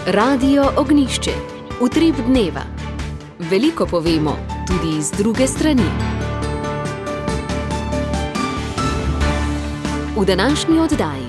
Radio Ognišče, utrip dneva. Veliko povemo, tudi z druge strani. V današnji oddaji.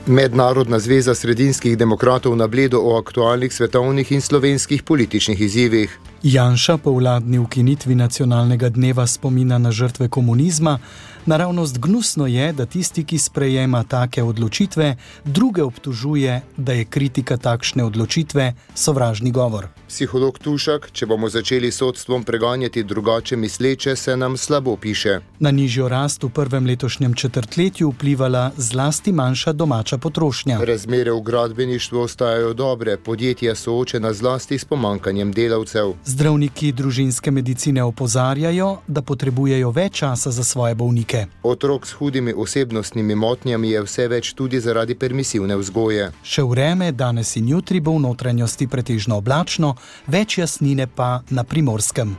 Mednarodna zveza sredinskih demokratov na Bledu o aktualnih svetovnih in slovenskih političnih izzivih. Janša po vladni ukinitvi nacionalnega dneva spomina na žrtve komunizma. Naravnost gnusno je, da tisti, ki sprejema take odločitve, druge obtožuje, da je kritika takšne odločitve sovražni govor. Psiholog Tušak, če bomo začeli sodstvom preganjati drugače misleče, se nam slabo piše. Na nižjo rast v prvem letošnjem četrtletju vplivala zlasti manjša domača potrošnja. Razmere v gradbeništvu ostajajo dobre, podjetja soočena zlasti s pomanjkanjem delavcev. Zdravniki družinske medicine opozarjajo, da potrebujejo več časa za svoje bolnike. Otrok s hudimi osebnostnimi motnjami je vse več tudi zaradi permisivne vzgoje. Še vreme, danes in jutri bo v notranjosti pretežno oblačno, več jasnine pa na Primorskem.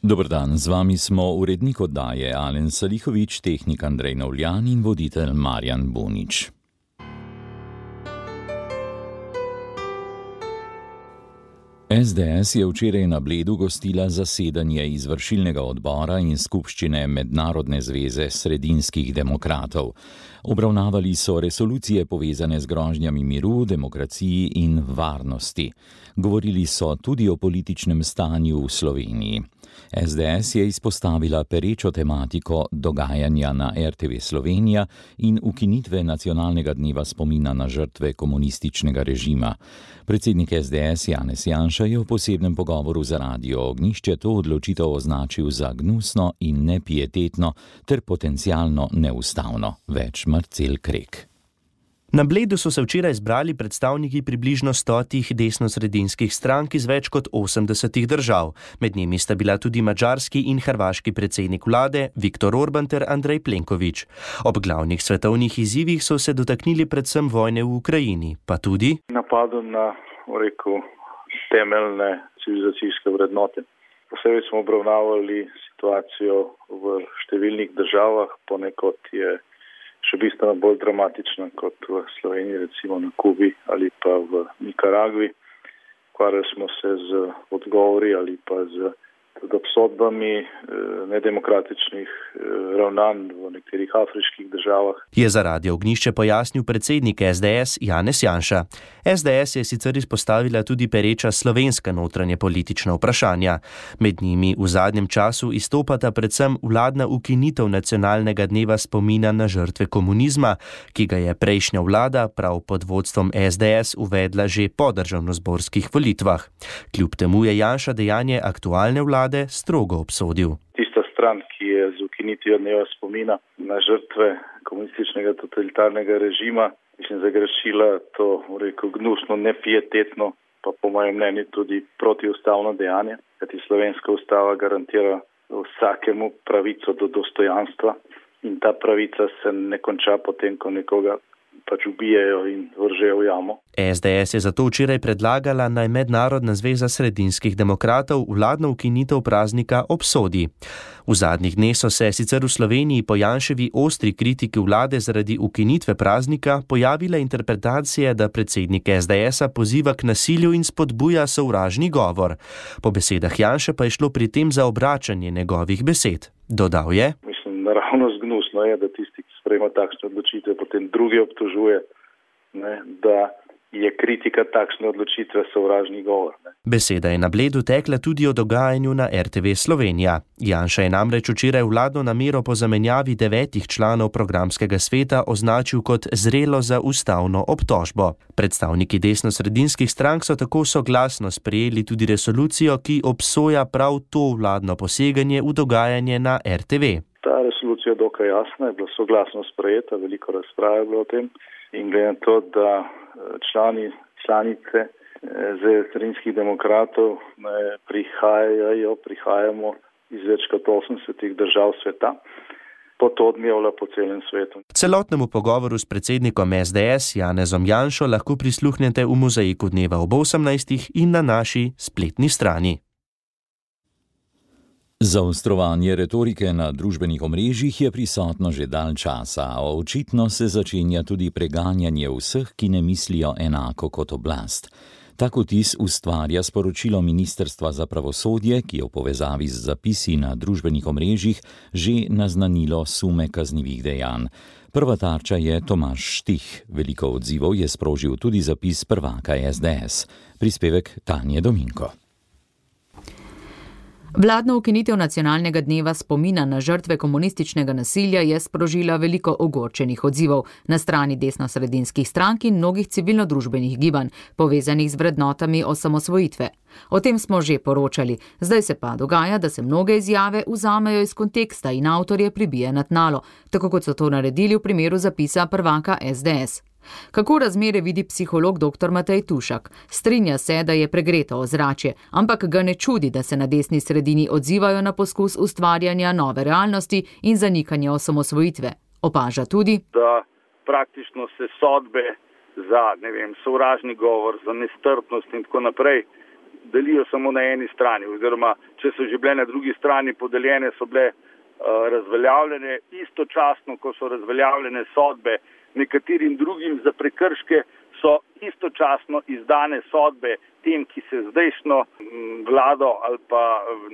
Dober dan, z vami smo urednik oddaje Alen Salihovič, tehnik Andrej Novljan in voditelj Marjan Bunič. SDS je včeraj na Bledu gostila zasedanje izvršilnega odbora in skupščine Mednarodne zveze sredinskih demokratov. Obravnavali so resolucije povezane z grožnjami miru, demokraciji in varnosti. Govorili so tudi o političnem stanju v Sloveniji. SDS je izpostavila perečo tematiko dogajanja na RTV Slovenija in ukinitve nacionalnega dneva spomina na žrtve komunističnega režima. Predsednik SDS Janez Janša je v posebnem pogovoru za Radio Ognišče to odločitev označil za gnusno in nepietetno ter potencialno neustavno. Več Marcel Krek. Na Bledu so se včeraj zbrali predstavniki približno 100 desnosredinskih strank iz več kot 80 držav. Med njimi sta bila tudi madžarski in hrvaški predsednik vlade Viktor Orban ter Andrej Plenković. Ob glavnih svetovnih izzivih so se dotaknili predvsem vojne v Ukrajini, pa tudi napadu na, temeljne civilizacijske vrednote. Posebej smo obravnavali situacijo v številnih državah, ponekod je še bistveno bolj dramatična kot v Sloveniji, recimo na Kubi ali pa v Nikaragvi. Ukvarjali smo se z odgovori ali pa z obsodbami nedemokratičnih ravnanj v nekaterih afriških državah. Je za Radio Ognišče pojasnil predsednik SDS Janez Janša. SDS je sicer izpostavila tudi pereča slovenska notranje politična vprašanja. Med njimi v zadnjem času izstopata predvsem vladna ukinitev nacionalnega dneva spomina na žrtve komunizma, ki ga je prejšnja vlada prav pod vodstvom SDS uvedla že po državnozborskih volitvah. Kljub temu je Janša dejanje aktualne vlade strogo obsodil. Tista stran, ki je z ukinitvijo dneva spomina na žrtve komunističnega totalitarnega režima, zagrešila to, gnusno, nepietetno, pa po mojem mnenju tudi protiustavno dejanje, kajti slovenska ustava garantira vsakemu pravico do dostojanstva in ta pravica se ne konča potem, ko nekoga ubijejo in vržejo v jamo. SDS je zato včeraj predlagala, naj Mednarodna zveza sredinskih demokratov vladno ukinitev praznika obsodi. V zadnjih dneh so se sicer v Sloveniji po Janševi ostri kritiki vlade zaradi ukinitve praznika pojavile interpretacije, da predsednik SDS-a poziva k nasilju in spodbuja sovražni govor. Po besedah Janše pa je šlo pri tem za obračanje njegovih besed. Dodal je: Naravnost gnusno je, da tisti, ki sprejema takšne odločitve, potem drugi obtožuje, da je kritika takšne odločitve sovražni govor. Beseda je na Bledu tekla tudi o dogajanju na RTV Slovenija. Janša je namreč včeraj vladno namero po zamenjavi 9 članov programskega sveta označil kot zrelo za ustavno obtožbo. Predstavniki desnosredinskih strank so tako soglasno sprejeli tudi resolucijo, ki obsoja prav to vladno poseganje v dogajanje na RTV. Ta resolucija je dokaj jasna, je bila soglasno sprejeta, veliko razprave je bilo o tem in glede na to, da članice Zveze sredinskih demokratov prihajamo iz več kot 80 držav sveta, bo to odmevalo po celem svetu. Celotnemu pogovoru s predsednikom SDS Janezom Janšo lahko prisluhnete v Mozaiku dneva ob 18. in na naši spletni strani. Zaostrovanje retorike na družbenih omrežjih je prisotno že dalj časa, a očitno se začenja tudi preganjanje vseh, ki ne mislijo enako kot oblast. Tak vtis ustvarja sporočilo Ministrstva za pravosodje, ki je v povezavi z zapisi na družbenih omrežjih že naznanilo sume kaznivih dejanj. Prva tarča je Tomaž Štih. Veliko odzivov je sprožil tudi zapis prvaka SDS. Prispevek Tanje Dominko. Vladna ukinitev nacionalnega dneva spomina na žrtve komunističnega nasilja je sprožila veliko ogorčenih odzivov na strani desnosredinskih strank in mnogih civilno-družbenih gibanj, povezanih z vrednotami osamosvojitve. O tem smo že poročali, zdaj se pa dogaja, da se mnoge izjave vzamejo iz konteksta in avtorje pribije na tnalo, tako kot so to naredili v primeru zapisa prvaka SDS. Kako razmere vidi psiholog dr. Matej Tušak? Strinja se, da je pregreto ozračje, ampak ga ne čudi, da se na desni sredini odzivajo na poskus ustvarjanja nove realnosti in zanikanja osamosvojitve. Opaža tudi, da praktično se sodbe za, sovražni govor, za nestrpnost in tako naprej delijo samo na eni strani, oziroma če so že bile na drugi strani podeljene, so bile razveljavljene, istočasno, ko so razveljavljene sodbe nekaterim drugim za prekrške, so istočasno izdane sodbe tem, ki se zdajšnjo vlado ali pa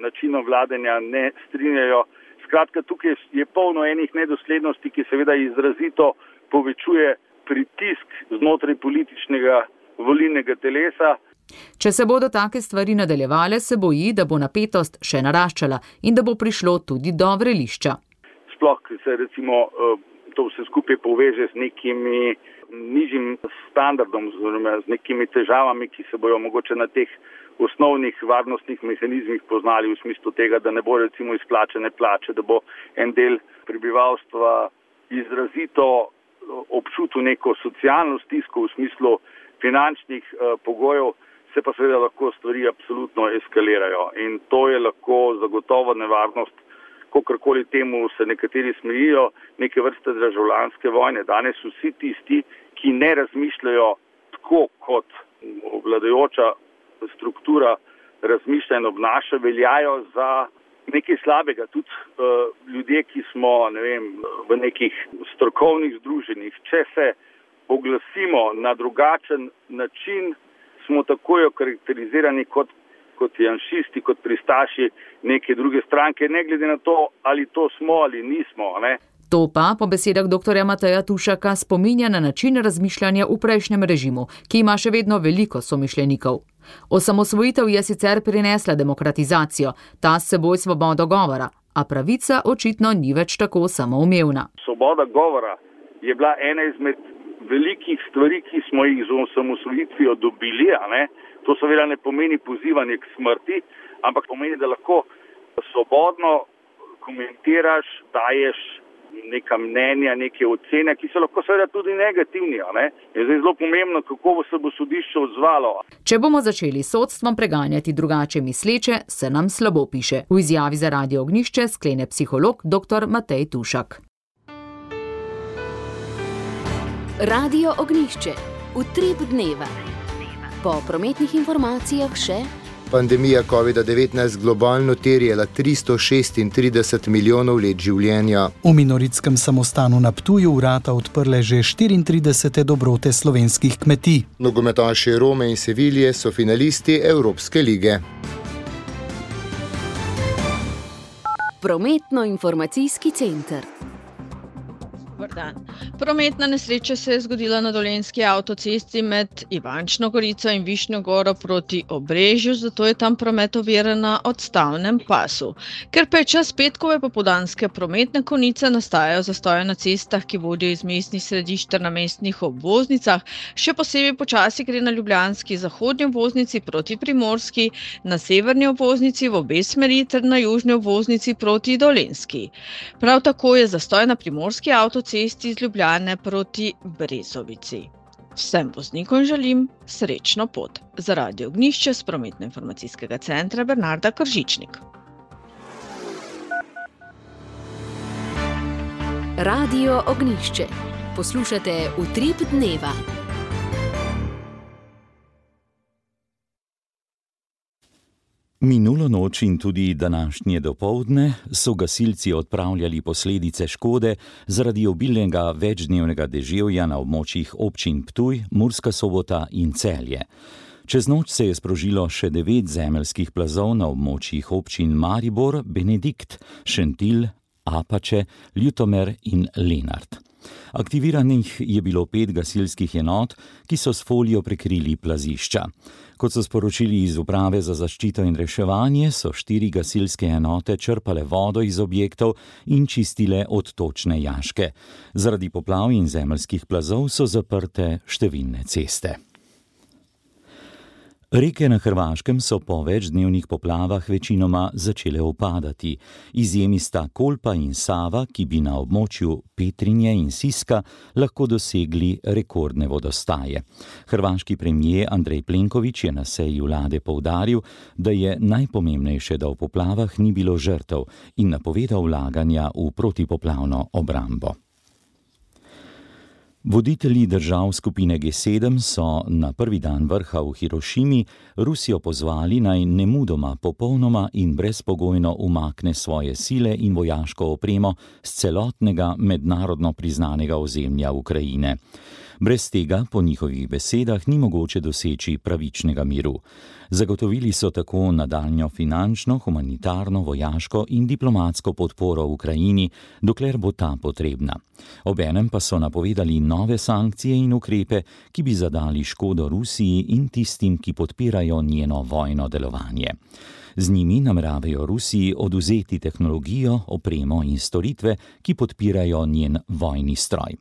načinom vladanja ne strinjajo. Skratka, tukaj je polno enih nedoslednosti, ki seveda izrazito povečuje pritisk znotraj političnega volilnega telesa. Če se bodo take stvari nadaljevale, se boji, da bo napetost še naraščala in da bo prišlo tudi do vrelišča. Sploh se recimo to vse skupaj poveže z nekimi nižjim standardom, z nekimi težavami, ki se bojo mogoče na teh osnovnih varnostnih mehanizmih poznali v smislu tega, da ne bo recimo izplačene plače, da bo en del prebivalstva izrazito občutil neko socialno stisko v smislu finančnih pogojev, se pa seveda lahko stvari absolutno eskalirajo. In to je lahko zagotovo nevarnost, kakorkoli temu se nekateri smejijo, neke vrste državljanske vojne. Danes vsi tisti, ki ne razmišljajo tako kot vladajoča struktura razmišlja in obnaša, veljajo za nekaj slabega. Tudi ljudje, ki smo v nekih strokovnih združenjih, če se oglasimo na drugačen način, smo takoj okarakterizirani kot janšisti, kot pristaši neke druge stranke, ne glede na to, ali to smo ali nismo. To pa, po besedah dr. Mateja Tušaka, spominja na način razmišljanja v prejšnjem režimu, ki ima še vedno veliko somišljenikov. Osamosvojitev je sicer prinesla demokratizacijo, ta s seboj svobodo govora, a pravica očitno ni več tako samoumevna. Svoboda govora je bila ena izmed velikih stvari, ki smo jih z osamosvojitvijo dobili, To seveda ne pomeni pozivanje k smrti, ampak pomeni, da lahko svobodno komentiraš, daješ neka mnenja, neke ocene, ki so lahko seveda tudi negativni. Je zdaj zelo pomembno, kako se bo sodišče odzvalo. Če bomo začeli sodstvom preganjati drugače misleče, se nam slabo piše. V izjavi za Radio Ognjišče sklene psiholog dr. Matej Tušak. Radio Ognjišče. Utrip dneva. Po prometnih informacijah še: pandemija COVID-19 globalno terjala 336 milijonov let življenja. V Minoritskem samostanu na Ptuju vrata odprle že 34 dobrote slovenskih kmetij. Nogometaši Rome in Sevilje so finalisti Evropske lige. Prometno-informacijski center. Prometna nesreča se je zgodila na Dolenjski avtocesti med Ivančno Gorico in Višnjo Goro proti Obrežju, zato je tam promet oviran na odstavnem pasu. Ker pa je čas petkove popoldanske prometne konice, nastajajo zastoje na cestah, ki vodijo iz mestnih središč ter na mestnih obvoznicah. Še posebej počasi gre na ljubljanski zahodnji obvoznici proti Primorski, na severni obvoznici v obe smeri ter na južni obvoznici proti Dolenjski. Prav tako je zastoj na Primorski avtocesti iz Ljubljane proti Brezovici. Vsem voznikom želim srečno pot. Za Radio Ognjišče s prometno-informacijskega centra Bernarda Kržičnik. Radio Ognjišče. Poslušate Utrip dneva. Minulo noč in tudi današnje dopoldne so gasilci odpravljali posledice škode zaradi obilnega večdnevnega deževja na območjih občin Ptuj, Murska Sobota in Celje. Čez noč se je sprožilo še 9 zemeljskih plazov na območjih občin Maribor, Benedikt, Šentilj, Apače, Ljutomer in Lenart. Aktiviranih je bilo 5 gasilskih enot, ki so s folijo prekrili plazišča. Kot so sporočili iz Uprave za zaščito in reševanje, so 4 gasilske enote črpale vodo iz objektov in čistile odtočne jaške. Zaradi poplav in zemeljskih plazov so zaprte številne ceste. Reke na Hrvaškem so po večdnevnih poplavah večinoma začele upadati. Izjemi sta Kolpa in Sava, ki bi na območju Petrinje in Siska lahko dosegli rekordne vodostaje. Hrvaški premijer Andrej Plenković je na seji vlade poudaril, da je najpomembnejše, da v poplavah ni bilo žrtev, in napovedal vlaganja v protipoplavno obrambo. Voditelji držav skupine G7 so na prvi dan vrha v Hirošimi Rusijo pozvali, naj nemudoma, popolnoma in brezpogojno umakne svoje sile in vojaško opremo s celotnega mednarodno priznanega ozemlja Ukrajine. Brez tega, po njihovih besedah, ni mogoče doseči pravičnega miru. Zagotovili so tako nadaljnjo finančno, humanitarno, vojaško in diplomatsko podporo Ukrajini, dokler bo ta potrebna. Obenem pa so napovedali nove sankcije in ukrepe, ki bi zadali škodo Rusiji in tistim, ki podpirajo njeno vojno delovanje. Z njimi nameravajo Rusiji odvzeti tehnologijo, opremo in storitve, ki podpirajo njen vojni stroj.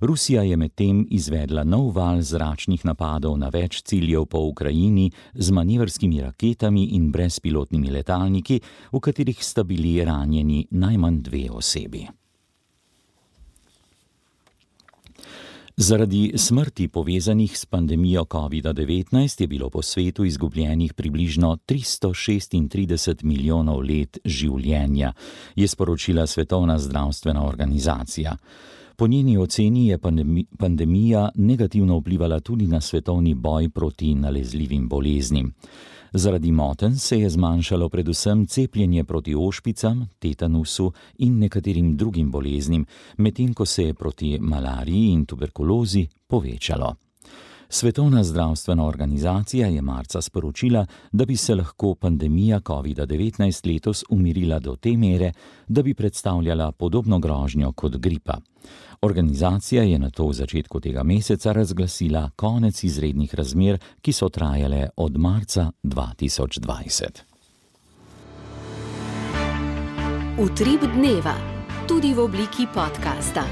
Rusija je medtem izvedla nov val zračnih napadov na več ciljev po Ukrajini z manevrskimi raketami in brezpilotnimi letalniki, v katerih sta bili ranjeni najmanj 2 osebi. Zaradi smrti povezanih s pandemijo COVID-19 je bilo po svetu izgubljenih približno 336 milijonov let življenja, je sporočila Svetovna zdravstvena organizacija. Po njeni oceni je pandemija negativno vplivala tudi na svetovni boj proti nalezljivim boleznim. Zaradi motenj se je zmanjšalo predvsem cepljenje proti ošpicam, tetanusu in nekaterim drugim boleznim, medtem ko se je proti malariji in tuberkulozi povečalo. Svetovna zdravstvena organizacija je marca sporočila, da bi se lahko pandemija COVID-19 letos umirila do te mere, da bi predstavljala podobno grožnjo kot gripa. Organizacija je nato v začetku tega meseca razglasila konec izrednih razmer, ki so trajale od marca 2020. Utrip dneva, tudi v obliki podcasta.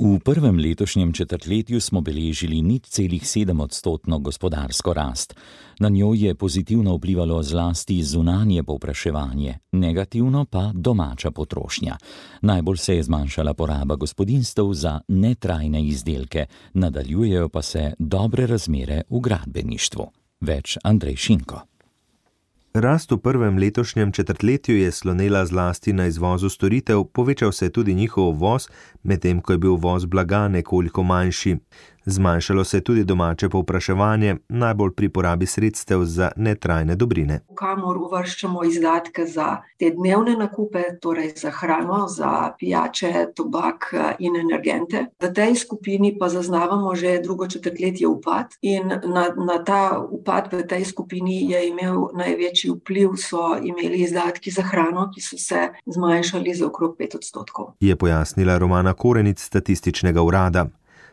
V prvem letošnjem četrtletju smo beležili 0,7% gospodarsko rast. Na njo je pozitivno vplivalo zlasti zunanje povpraševanje, negativno pa domača potrošnja. Najbolj se je zmanjšala poraba gospodinjstev za netrajne izdelke, nadaljujejo pa se dobre razmere v gradbeništvu. Več Andrej Šinko. Rast v prvem letošnjem četrtletju je slonela zlasti na izvozu storitev, povečal se je tudi njihov uvoz, medtem ko je bil uvoz blaga nekoliko manjši. Zmanjšalo se je tudi domače povpraševanje, najbolj pri porabi sredstev za netrajne dobrine. Kamor uvrščamo izdatke za te dnevne nakupe, torej za hrano, za pijače, tobak in energente. V tej skupini pa zaznavamo že drugo četrtletje upad in na ta upad v tej skupini je imel največji vpliv, so imeli izdatki za hrano, ki so se zmanjšali za okrog 5%. Je pojasnila Romana Korenic z Statističnega urada.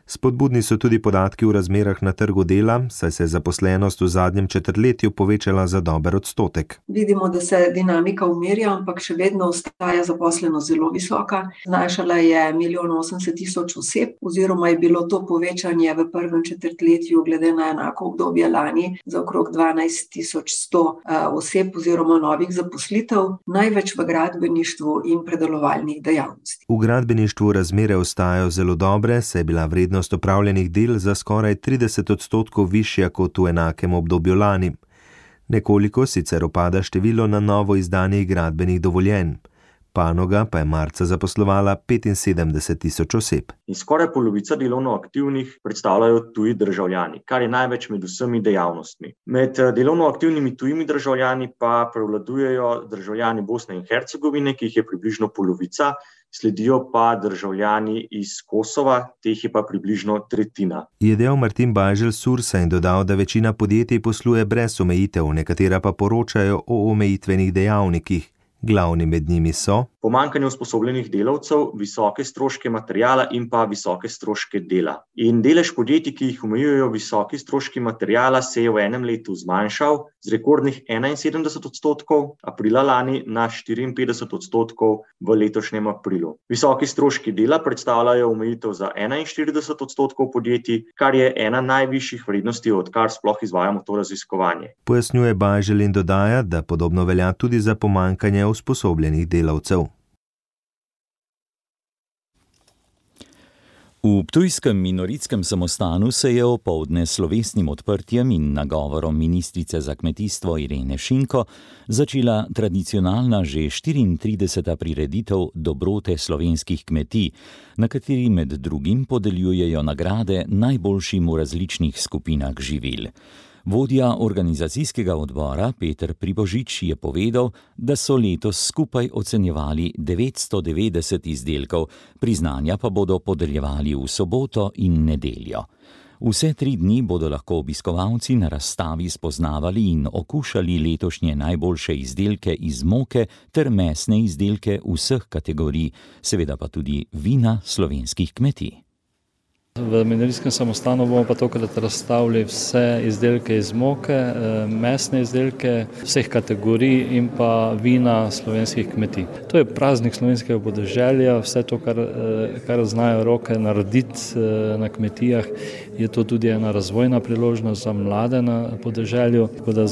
Spodbudni so tudi podatki v razmerah na trgu dela, saj se je zaposlenost v zadnjem četrtletju povečala za dober odstotek. Vidimo, da se dinamika umirja, ampak še vedno ostaja zaposlenost zelo visoka. Znašala je 1,80,000 oseb, oziroma je bilo to povečanje v prvem četrtletju glede na enako obdobje lani za okrog 12,100 oseb oziroma novih zaposlitev, največ v gradbeništvu in predelovalnih dejavnostih. V gradbeništvu razmere ostajajo zelo dobre, saj je bila vrednost opravljenih del za skoraj 30% višja kot v enakem obdobju lani. Nekoliko sicer opada število na novo izdanih gradbenih dovoljenj. panoga pa je marca zaposlovala 75,000 oseb. In skoraj polovica delovno aktivnih predstavljajo tuji državljani, kar je največ med vsemi dejavnostmi. Med delovno aktivnimi tujimi državljani pa prevladujejo državljani Bosne in Hercegovine, ki jih je približno polovica, sledijo pa državljani iz Kosova, teh je pa približno tretjina. Je dejal Martin Bajželj Sursa in dodal, da večina podjetij posluje brez omejitev, nekatera pa poročajo o omejitvenih dejavnikih. Glavni med njimi so pomanjkanje usposobljenih delavcev, visoke stroške materiala in pa visoke stroške dela. In delež podjetij, ki jih omejujejo visoki stroški materiala, se je v enem letu zmanjšal z rekordnih 71%, aprila lani na 54% v letošnjem aprilu. Visoki stroški dela predstavljajo omejitev za 41% podjetij, kar je ena najvišjih vrednosti, odkar sploh izvajamo to raziskovanje. Pojasnjuje Bajželj in dodaja, da podobno velja tudi za pomanjkanje usposobljenih delavcev. V ptujskem minoritskem samostanu se je opoldne s slovesnim odprtjem in nagovorom ministrice za kmetijstvo Irene Šinko začela tradicionalna že 34. prireditev Dobrote slovenskih kmetij, na kateri med drugim podeljujejo nagrade najboljšim v različnih skupinah živil. Vodja organizacijskega odbora Peter Pribožič je povedal, da so letos skupaj ocenjevali 990 izdelkov, priznanja pa bodo podeljevali v soboto in nedeljo. Vse 3 dni bodo lahko obiskovalci na razstavi spoznavali in okušali letošnje najboljše izdelke iz moke ter mesne izdelke vseh kategorij, seveda pa tudi vina slovenskih kmetij. V minoritskem samostanu bomo pa tokrat razstavili vse izdelke iz moke, mesne izdelke vseh kategorij in pa vina slovenskih kmetij. To je praznik slovenskega podeželja, vse to, kar znajo roke narediti na kmetijah, je to tudi ena razvojna priložnost za mlade na podeželju, tako da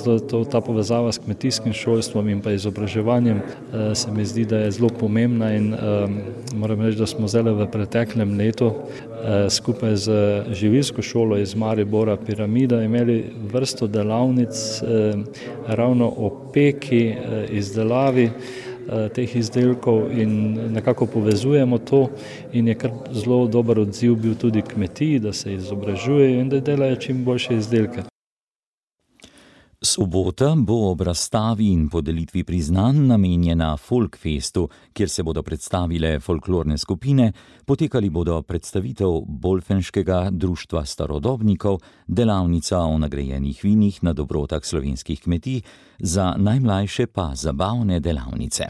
ta povezava s kmetijskim šolstvom in pa izobraževanjem se mi zdi, da je zelo pomembna in moram reči, da smo zdaj v preteklem letu skupaj z živilsko šolo iz Maribora Piramida imeli vrsto delavnic ravno o peki, izdelavi teh izdelkov in nekako povezujemo to in je kar zelo dober odziv bil tudi kmetiji, da se izobražujejo in da delajo čim boljše izdelke. Sobota bo ob razstavi in podelitvi priznanj namenjena Folkfestu, kjer se bodo predstavile folklorne skupine, potekali bodo predstavitev Bolfenškega društva starodobnikov, delavnica o nagrajenih vinih na dobrotah slovenskih kmetij, za najmlajše pa zabavne delavnice.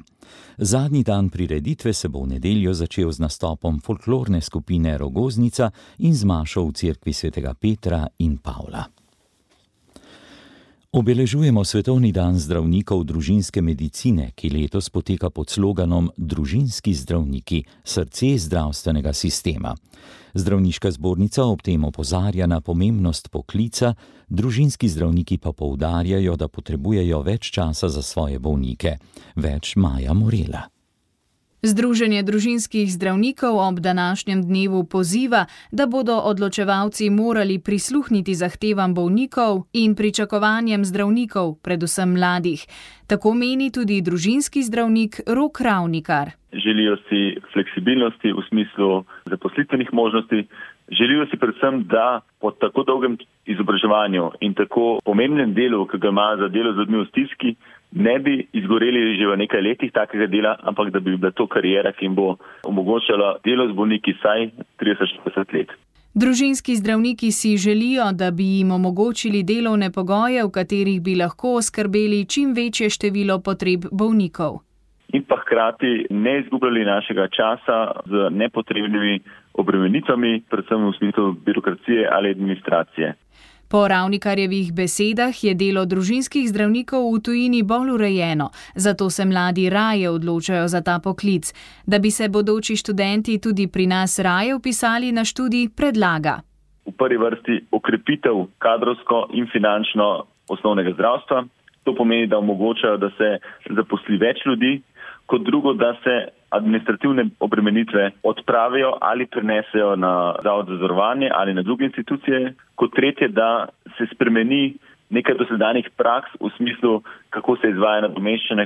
Zadnji dan prireditve se bo v nedeljo začel z nastopom folklorne skupine Rogoznica in z mašo v cerkvi svetega Petra in Pavla. Obeležujemo Svetovni dan zdravnikov družinske medicine, ki letos poteka pod sloganom Družinski zdravniki, srce zdravstvenega sistema. Zdravniška zbornica ob tem opozarja na pomembnost poklica, družinski zdravniki pa poudarjajo, da potrebujejo več časa za svoje bolnike. Več Maja Morela. Združenje družinskih zdravnikov ob današnjem dnevu poziva, da bodo odločevalci morali prisluhniti zahtevam bolnikov in pričakovanjem zdravnikov, predvsem mladih. Tako meni tudi družinski zdravnik Rok Ravnikar. Želijo si fleksibilnosti v smislu zaposlitvenih možnosti, želijo si predvsem, da po tako dolgem izobraževanju in tako pomembnem delu, ki ga ima za delo z ljudmi v stiski, ne bi izgoreli že v nekaj letih takega dela, ampak da bi bila to karijera, ki jim bo omogočala delo z bolniki vsaj 30-40 let. Družinski zdravniki si želijo, da bi jim omogočili delovne pogoje, v katerih bi lahko oskrbeli čim večje število potreb bolnikov. In pa hkrati ne izgubljali našega časa z nepotrebnimi obremenitvami, predvsem v smislu birokracije ali administracije. Po Ravnikarjevih besedah je delo družinskih zdravnikov v tujini bolj urejeno, zato se mladi raje odločajo za ta poklic. Da bi se bodoči študenti tudi pri nas raje vpisali na študij, predlaga. V prvi vrsti okrepitev kadrovsko in finančno osnovnega zdravstva. To pomeni, da omogočajo, da se zaposli več ljudi, kot drugo, da se administrativne obremenitve odpravijo ali prenesejo na Zavod za zavarovanje ali na druge institucije. Kot tretje, da se spremeni nekaj dosedanjih praks v smislu, kako se izvaja nadomeščanje.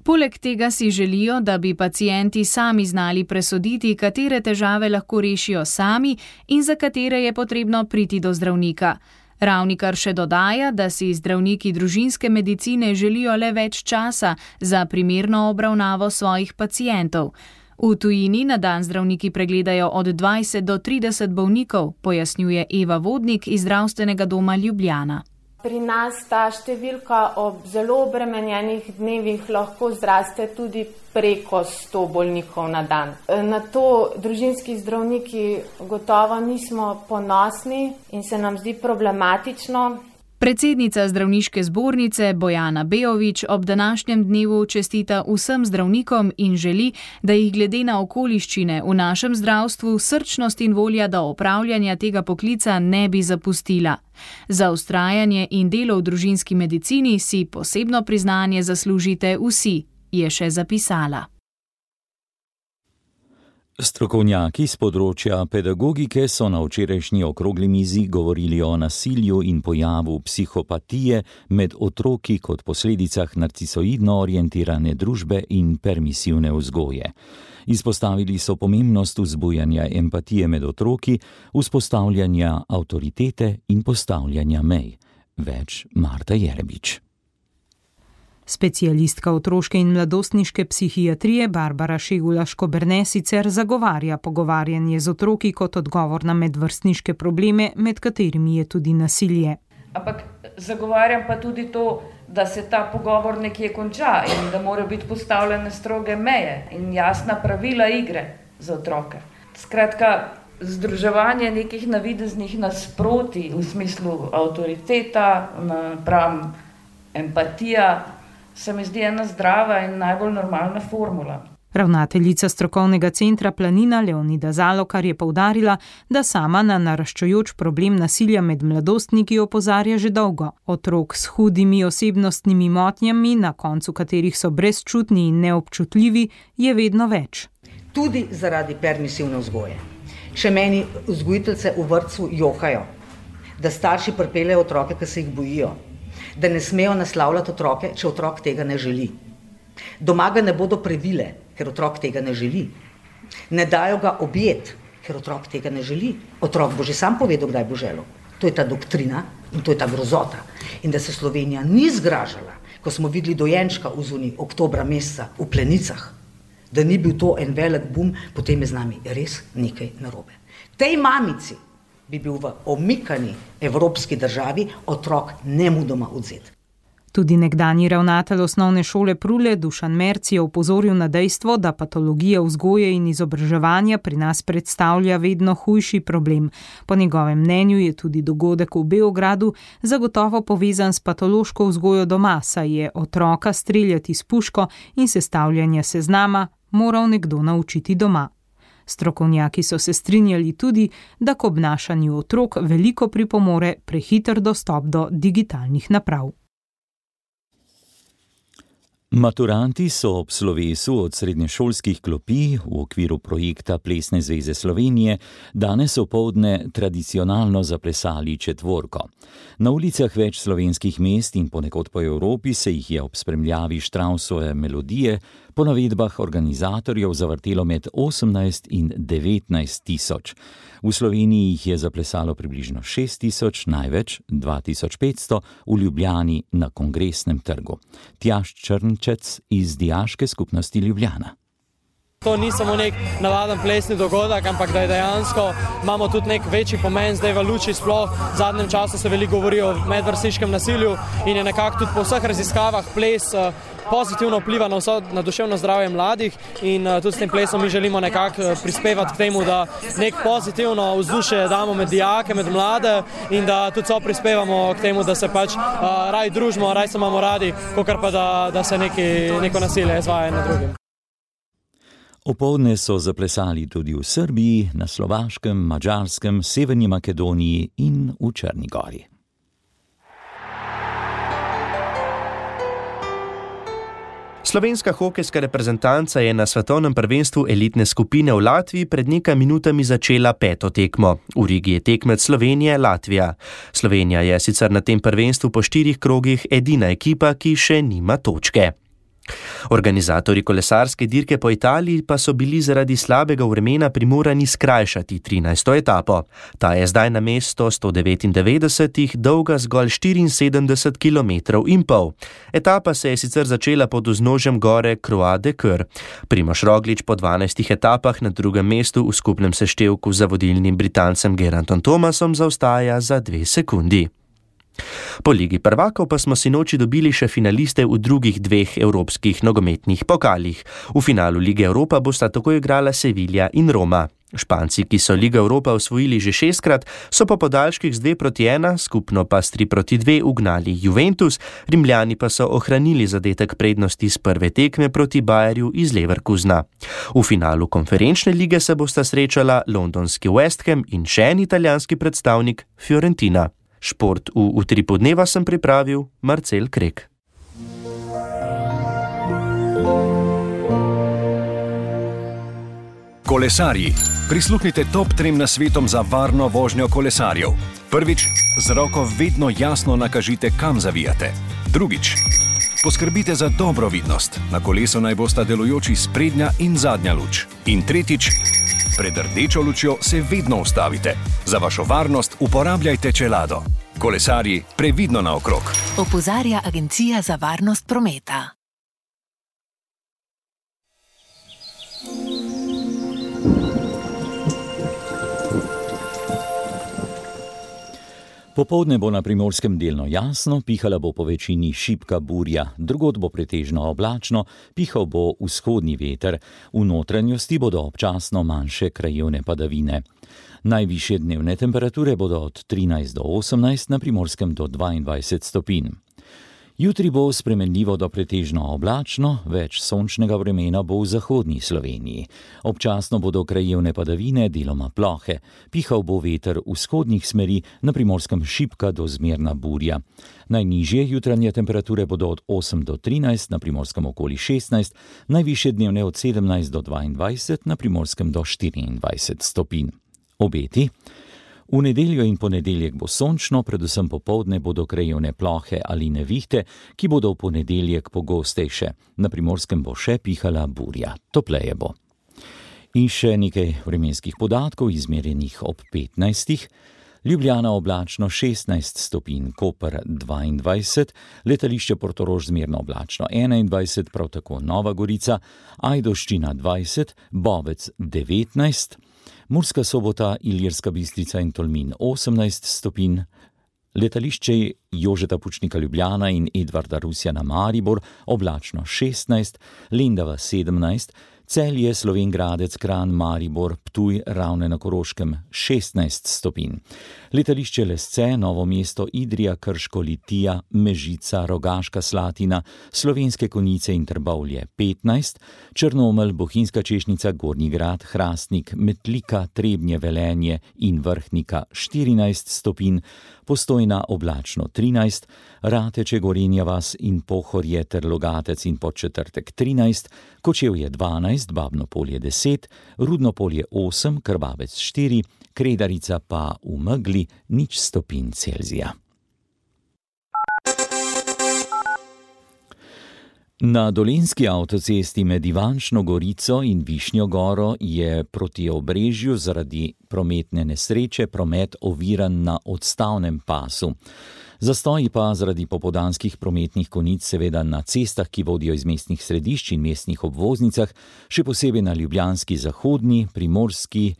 Poleg tega si želijo, da bi pacienti sami znali presoditi, katere težave lahko rešijo sami in za katere je potrebno priti do zdravnika. Ravnikar še dodaja, da si zdravniki družinske medicine želijo le več časa za primerno obravnavo svojih pacientov. V tujini na dan zdravniki pregledajo od 20 do 30 bolnikov, pojasnjuje Eva Vodnik iz Zdravstvenega doma Ljubljana. Pri nas ta številka ob zelo obremenjenih dnevih lahko zraste tudi preko 100 bolnikov na dan. Na to družinski zdravniki gotovo nismo ponosni in se nam zdi problematično. Predsednica zdravniške zbornice Bojana Bejović ob današnjem dnevu čestita vsem zdravnikom in želi, da jih glede na okoliščine v našem zdravstvu srčnost in volja do opravljanja tega poklica ne bi zapustila. Za vztrajanje in delo v družinski medicini si posebno priznanje zaslužite vsi, je še zapisala. Strokovnjaki z področja pedagogike so na včerajšnji okrogli mizi govorili o nasilju in pojavu psihopatije med otroki kot posledicah narcisoidno orientirane družbe in permisivne vzgoje. Izpostavili so pomembnost vzbujanja empatije med otroki, vzpostavljanja avtoritete in postavljanja mej. Več Marta Jerebič. Specialistka otroške in mladostniške psihiatrije Barbara Šegula-Škoberne sicer zagovarja pogovarjanje z otroki kot odgovor na medvrstniške probleme, med katerimi je tudi nasilje. Ampak zagovarjam pa tudi to, da se ta pogovor nekje konča in da morajo biti postavljene stroge meje in jasna pravila igre za otroke. Skratka, združevanje nekih navideznih nasprotij v smislu avtoriteta, napram empatija, se mi zdi ena zdrava in najbolj normalna formula. Ravnateljica strokovnega centra Planina Leonida Zalokar je poudarila, da sama na naraščajoč problem nasilja med mladostniki opozarja že dolgo. Otrok s hudimi osebnostnimi motnjami, na koncu katerih so brezčutni in neobčutljivi, je vedno več. Tudi zaradi permisivne vzgoje. Če meni vzgojiteljice v vrtcu jokajo, da starši pripeljejo otroke, ki se jih bojijo, da ne smejo naslavljati otroke, če otrok tega ne želi. Doma ga ne bodo previle, ker otrok tega ne želi. Ne dajo ga objet, ker otrok tega ne želi. Otrok bo že sam povedal, kdaj bo želel. To je ta doktrina in to je ta grozota. In da se Slovenija ni zgražala, ko smo videli dojenčka v zuni oktobra meseca v Plenicah, da ni bil to en velik bum, potem je z nami res nekaj narobe. Tej mamici bi bil v omikani evropski državi otrok nemudoma odzet. Tudi nekdanji ravnatelj osnovne šole Prule Dušan Merc je opozoril na dejstvo, da patologija vzgoje in izobraževanja pri nas predstavlja vedno hujši problem. Po njegovem mnenju je tudi dogodek v Beogradu zagotovo povezan s patološko vzgojo doma, saj je otroka streljati s puško in sestavljanja seznama moral nekdo naučiti doma. Strokovnjaki so se strinjali tudi, da k obnašanju otrok veliko pripomore prehiter dostop do digitalnih naprav. Maturanti so ob slovesu od srednješolskih klopi v okviru projekta Plesne zveze Slovenije danes opoldne tradicionalno zaplesali četvorko. Na ulicah več slovenskih mest in ponekod po Evropi se jih je ob spremljavi Štrausove melodije po navedbah organizatorjev zavrtelo med 18 in 19 tisoč. V Sloveniji jih je zaplesalo približno 6 tisoč, največ 2500 v Ljubljani na Kongresnem trgu. Tjaž Črnčec iz Dijaške skupnosti Ljubljana. To ni samo nek navaden plesni dogodek, ampak da je dejansko imamo tudi nek večji pomen zdaj v luči sploh. V zadnjem času se veliko govori o medvrstniškem nasilju in je nekako tudi po vseh raziskavah ples pozitivno vpliva na duševno zdravje mladih in tudi s tem plesom mi želimo nekako prispevati k temu, da nek pozitivno vzdušje damo med dijake, med mlade in da tudi so prispevamo k temu, da se pač raj družimo, raj se imamo radi, kakor pa da se neko nasilje izvaja na drugim. Opoldne so zaplesali tudi v Srbiji, na Slovaškem, Madžarskem, Severni Makedoniji in v Črni Gori. Slovenska hokejska reprezentanca je na svetovnem prvenstvu elitne skupine v Latviji pred nekaj minutami začela 5. tekmo. V Rigi je tekmec Slovenije Latvija. Slovenija je sicer na tem prvenstvu po 4 krogih edina ekipa, ki še nima točke. Organizatorji kolesarske dirke po Italiji pa so bili zaradi slabega vremena primorani skrajšati 13. etapo. Ta je zdaj namesto 199 dolga zgolj 74 km in pol. Etapa se je sicer začela pod vznožjem gore Croix de Coeur. Primož Roglič po 12 etapah na drugem mestu v skupnem seštevku za vodilnim Britancem Geraintom Thomasom zaostaja za 2 sekundi. Po Ligi prvakov pa smo sinoči dobili še finaliste v drugih 2 evropskih nogometnih pokalih. V finalu Lige Evropa bosta tako igrala Sevilla in Roma. Španci, ki so Ligo Evropa osvojili že 6-krat, so po podaljških z 2-1, skupno pa s 3-2 ugnali Juventus, Rimljani pa so ohranili zadetek prednosti z prve tekme proti Bayerju iz Leverkusena. V finalu konferenčne lige se bosta srečala londonski West Ham in še en italijanski predstavnik Fiorentina. Šport v Utripu dneva sem pripravil Marcel Krek. Kolesarji. Prisluhnite top 3 nasvetom za varno vožnjo kolesarjev. Prvič, z roko vedno jasno nakažite, kam zavijate. Drugič, poskrbite za dobro vidnost. Na kolesu naj bosta delujoči sprednja in zadnja luč. In tretjič, pred rdečo lučjo se vedno ustavite. Za vašo varnost uporabljajte čelado. Kolesarji, previdno naokrog. Opozarja Agencija za varnost prometa. Popoldne bo na Primorskem delno jasno, pihala bo po večini šibka burja, drugod bo pretežno oblačno, pihal bo vzhodni veter, v notranjosti bodo občasno manjše krajevne padavine. Najvišje dnevne temperature bodo od 13 do 18, na Primorskem do 22 stopinj. Jutri bo spremenljivo do pretežno oblačno, več sončnega vremena bo v zahodni Sloveniji. Občasno bodo krajevne padavine, deloma plohe. Pihal bo veter vzhodnih smeri, na Primorskem šibka do zmerna burja. Najnižje jutranje temperature bodo od 8 do 13, na Primorskem okoli 16, najvišje dnevne od 17 do 22, na Primorskem do 24 stopinj. Obeti. V nedeljo in ponedeljek bo sončno, predvsem popoldne bodo krajevne plohe ali nevihte, ki bodo v ponedeljek pogostejše. Na Primorskem bo še pihala burja, topleje bo. In še nekaj vremenskih podatkov, izmerjenih ob 15. Ljubljana oblačno 16 stopinj, Koper 22, letališče Portorož zmerno oblačno 21, prav tako Nova Gorica, Ajdovščina 20, Bovec 19, Murska Sobota, Ilirska Bistrica in Tolmin 18 stopinj, letališče Jožeta Pučnika Ljubljana in Edvarda Rusjana Maribor oblačno 16, Lendava 17, Celje, Slovenj Gradec, Kranj, Maribor, Ptuj, Ravne na Koroškem 16 stopinj. Letališče Lesce, Novo mesto, Idrija, Krško, Litija, Mežica, Rogaška Slatina, Slovenske Konjice in Trbovlje 15, Črnomelj, Bohinjska Češnica, Gornji Grad, Hrastnik, Metlika, Trebnje, Velenje in Vrhnika 14 stopinj, Postojna oblačno 13, Rateče, Gorenja vas in Pohorje ter Logatec in Podčetrtek 13, Kočevje 12, Babno Polje 10, Rudno Polje 8, Krvavec 4, Kredarica pa v megli 0 stopinj Celzija. Na Dolenjski avtocesti med Ivančno Gorico in Višnjo Goro je proti Obrežju zaradi prometne nesreče promet oviran na odstavnem pasu. Zastoji pa zaradi popoldanskih prometnih konic seveda na cestah, ki vodijo iz mestnih središč in mestnih obvoznicah, še posebej na ljubljanski zahodni, primorski,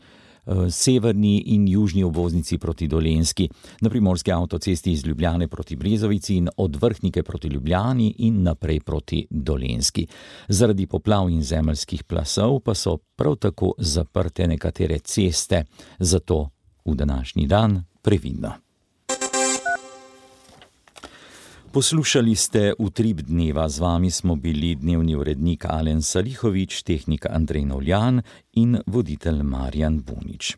severni in južni obvoznici proti Dolenjski, na primorski avtocesti iz Ljubljane proti Brezovici in od Vrhnike proti Ljubljani in naprej proti Dolenjski. Zaradi poplav in zemeljskih plasov pa so prav tako zaprte nekatere ceste, zato v današnji dan previdno. Poslušali ste Utrip dneva, z vami smo bili dnevni urednik Alen Salihovič, tehnik Andrej Novljan in voditelj Marjan Bunič.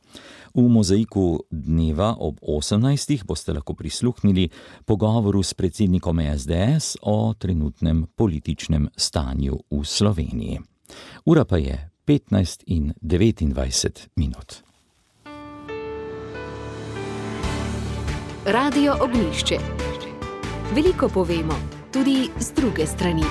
V Mozaiku dneva ob 18. boste lahko prisluhnili pogovoru s predsednikom SDS o trenutnem političnem stanju v Sloveniji. Ura pa je 15:29. Radio Ognjišče. Veliko povemo, tudi z druge strani.